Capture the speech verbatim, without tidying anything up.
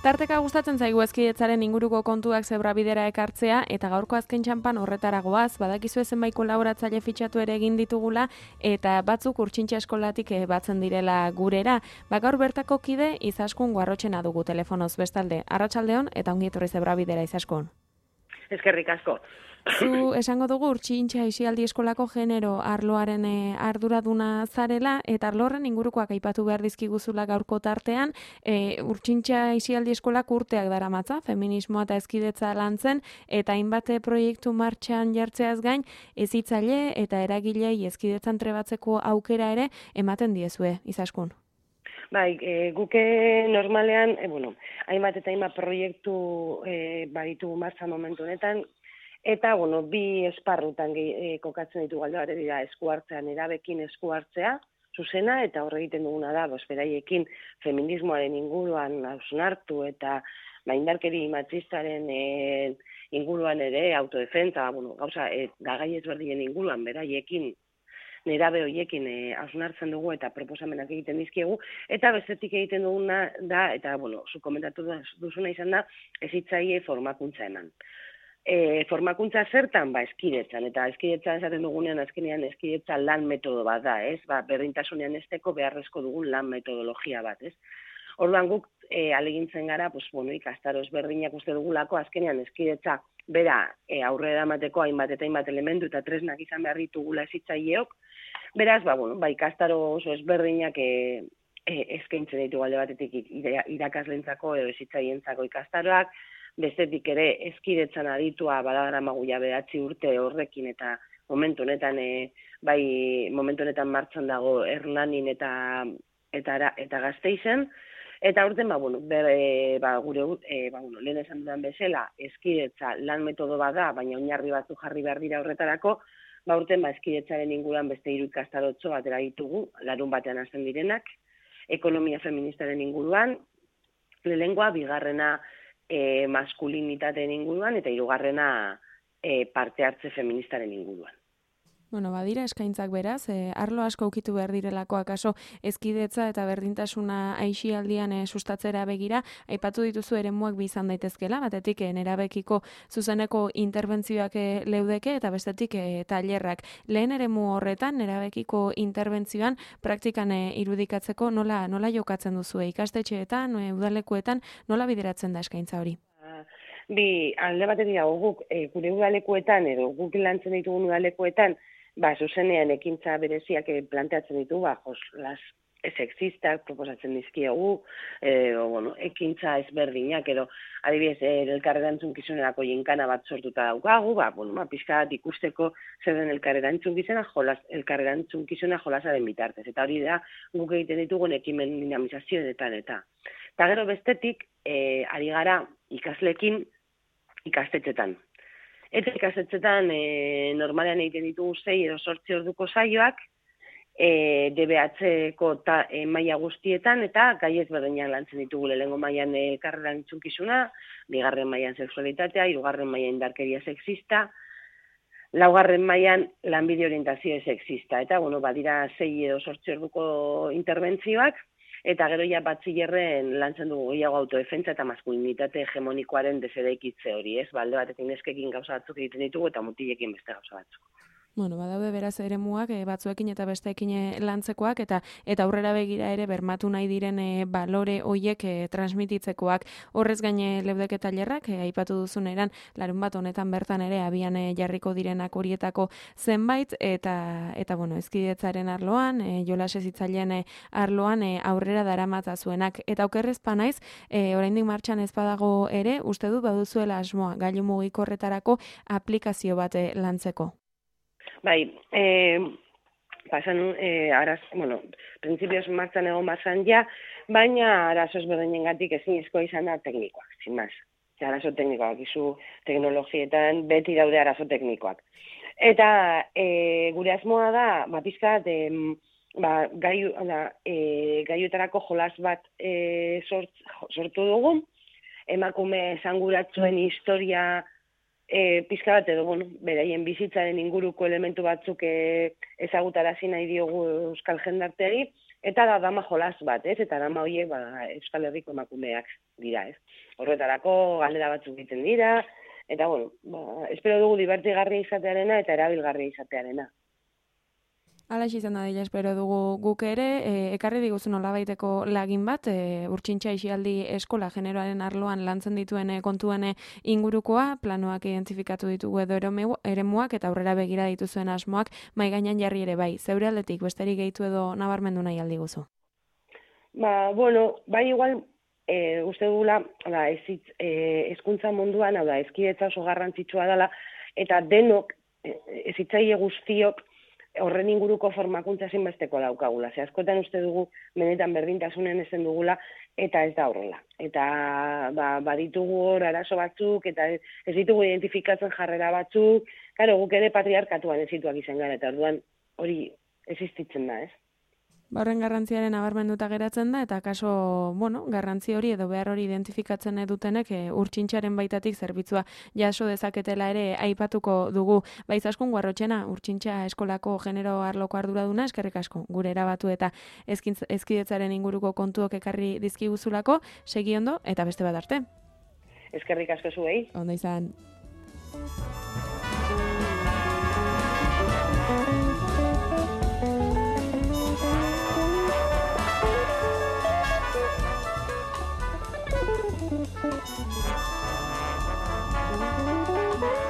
Tarteka gustatzen zaigu Hezkidetzaren inguruko kontuak zebrabidera ekartzea, eta gaurko azken txanpan horretaragoaz, badakizu zenbait kolaboratzaile fitxatu ere egin ditugula, eta batzuk Urtsintxa eskolatik batzen direla gurera. Ba, gaur bertako kide Izaskun Guarrotxena dugu telefonoz bestalde. Arratsaldeon eta ongi etorri zebrabidera, Izaskun. Eskerrik asko. Zu esango dugu Urtsintxa Aisialdi Eskolako genero arloaren e, arduraduna zarela, eta arlo horren ingurukoak aipatu behar dizkiguzula gaurko tartean. E, Urtsintxa Aisialdi Eskolak urteak daramatza, feminismoa eta hezkidetza lantzen, eta hainbat proiektu martxan jartzeaz gain, hezitzaile eta eragilei hezkidetzan trebatzeko aukera ere ematen diezue, Izaskun. Bai, e, guke normalean, e, bueno, hainbat eta hainbat proiektu e, baditu martza momentu honetan, eta, bueno, bi esparrutan e, kokatzen ditu galde bat dira esku hartzean, erabekin esku hartzea, zuzena, eta horre egiten duguna da, bos, beraiekin feminismoaren inguruan hausnartu eta indarkeri matxistaren e, inguruan ere, autodefentsa, bueno, gauza, e, gagai ezberdinen inguruan, beraiekin, nerabe horiekin hausnartzen dugu eta proposamenak egiten dizkiegu, eta bestetik egiten duguna da, eta, bueno, zu komentatu duzuna izan da, hezitzaile formakuntza eman. E, formakuntza zertan, ba, hezkidetzan, eta hezkidetzan esaten dugunean azkenean hezkidetza lan metodo bat da, ez? Ba, berdintasunean esteko beharrezko dugun lan metodologia bat, ez? Orduan guk e, alegintzen gara, pues, bueno, ikastaro ezberdinak uste dugulako, azkenean hezkidetza bera e, aurrera emateko hainbat eta hainbat elementu eta tresnak izan behar ditugula hezitzaileok, beraz, ba, bueno, ba, ikastaro oso ezberdinak e, e, eskaintzen ditu alde batetik irakaslentzako edo hezitzaileentzako ikastaroak, bestetik ere hezkidetzan aditua badadaramagu ja bederatzi urte horrekin eta momentu honetan e, bai momentu honetan martxan dago Hernanin eta eta eta Gasteizen. Eta urten, ba, bueno, bere, ba, gure, e, ba, bueno, lehen esan dudan bezala, hezkidetza lan metodo bat da, baina oinarri batzu jarri behar dira horretarako, ba, urten, ba, hezkidetzaren inguruan beste hiru ikastarotxo batera ditugu, larun batean hasten direnak, ekonomia feministaren inguruan, lehengoa, bigarrena e, maskulinitateen inguruan, eta hirugarrena e, parte hartze feministaren inguruan. Bueno, badira eskaintzak beraz, eh, arlo asko ukitu behar direlako akaso hezkidetza eta berdintasuna aisialdian eh, sustatzera begira, aipatu dituzu eremuak bi izan daitezkela, batetik eh, nerabekiko zuzeneko interbentzioak eh, leudeke eta bestetik eh, tailerrak. Lehen eremu horretan, nerabekiko interbentzioan praktikan eh, irudikatzeko nola nola jokatzen duzu ikastetxeetan, eh, udalekuetan, nola bideratzen da eskaintza hori? Bi, alde batetik dago guk, e, gure udalekuetan edo guk lantzen ditugun udalekuetan, ba, zuzenean ekintza bereziak planteatzen ditu, ba, jos, las sexistak proposatzen dizkiegu, edo, bueno, ekintza ezberdinak, edo, adibidez, elkarrerantzunkizunerako jinkana bat sortuta daukagu, ba, bueno, ba, pixka bat ikusteko zer den elkarrerantzunkizuna, jolas, elkarrerantzunkizuna jolasaren bitartez. Eta hori da, guk egiten ditugun ekimen dinamizazioetan eta. Eta gero bestetik, e, ari gara ikaslekin ikastetxetan. Eta ikastetxetan e, normalean egiten ditugu sei edo zortzi orduko saioak, e, D B H-ko e, maila guztietan, eta gai ezberdinak lantzen ditugu lehengo mailan elkarrerantzunkizuna, bigarren mailan sexualitatea, hirugarren mailan indarkeria sexista, laugarren mailan lanbide orientazio sexista. Eta, bueno, badira sei edo zortzi orduko interbentzioak, eta gero ja batzilerren lantzen dugu gehiago autodefentsa eta maskulinitate hegemonikoaren desedaikitze hori, ez? Balde batekin neskekin gauza batzuk egiten ditugu eta mutilekin beste gauza batzuk. Bueno, badaude beraz eremuak e, batzuekin eta besteekin lantzekoak eta eta aurrera begira ere bermatu nahi diren e, balore hoiek e, transmititzekoak. Horrez gaine leudeke tailerrak e, aipatu duzuneran larun bat honetan bertan ere abian e, jarriko direnak horietako zenbait eta eta bueno, hezkidetzaren arloan, e, jolas hezitzaileen e, arloan e, aurrera daramatza zuenak eta okerrez pa naiz, e, oraindik martxan ez badago ere, uste dut baduzuela asmoa gailu mugikorretarako aplikazio bat e, lantzeko. Bai, eh, pasan, eh, araz, bueno, prinsipioz martzan egon martzan ja, baina arazo ezberdinengatik ezinezkoa izan da teknikoak, sin más. Arazo teknikoak, izu teknologietan beti daude arazo teknikoak. Eta eh, gure asmoa da, ba, pizkat, eh, ba, gaiu, eh, gaiutarako jolas bat eh, sort, sortu dugu, emakume esanguratsuen historia E, pizka bat edo, bueno, beraien bizitzaren inguruko elementu batzuk e, ezagutarazi nahi diogu euskal jendarteari, Eta da dama jolas bat, ez? Eta dama horiek ba, Euskal Herriko emakumeak dira, ez? Horretarako galdera batzuk egiten dira, eta bueno, ba, espero dugu divertigarria izatearena eta erabilgarria izatearena. Hala izan da dira, espero dugu guk ere, e, ekarri diguzu nolabaiteko lagin bat, e, Urtsintxa Aisialdi eskola generoaren arloan lantzen dituen kontuen ingurukoa, planoak identifikatu ditugu edo eremuak eta aurrera begira dituzuen asmoak mai gainean jarri ere bai. Zeure aldetik besterik gehitu edo nabarmendu nahi aldi guzu? Ba, bueno, bai igual, e, uste dugula, da, ezitz, e, ezkuntza munduan, hau da, ezkidetza oso garrantzitsua dela, eta denok, e, ezitzaile guztiok, horren inguruko formakuntza zinbesteko daukagula. Ze askotan uste dugu benetan berdintasunen ezen dugula eta ez da horrela. Eta ba, baditugu hor arazo batzuk eta ez ditugu identifikatzen jarrera batzuk. Karo, guk ere patriarkatuan ezituak izan gara eta orduan hori existitzen da, ez? Ba, horren garrantziaren nabarmenduta geratzen da, eta kaso, bueno, garrantzi hori edo behar hori identifikatzen dutenek e, Urtsintxaren baitatik zerbitzua jaso dezaketela ere aipatuko dugu. Baiz askun Guarrotxena, Urtsintxa eskolako genero arloko arduraduna, eskerrik asko, gure erabatu eta ezkidetzaren inguruko kontuok ekarri dizkiguzulako, segi ondo eta beste bat arte. Eskerrik asko zuei. Ondo izan. Thank you.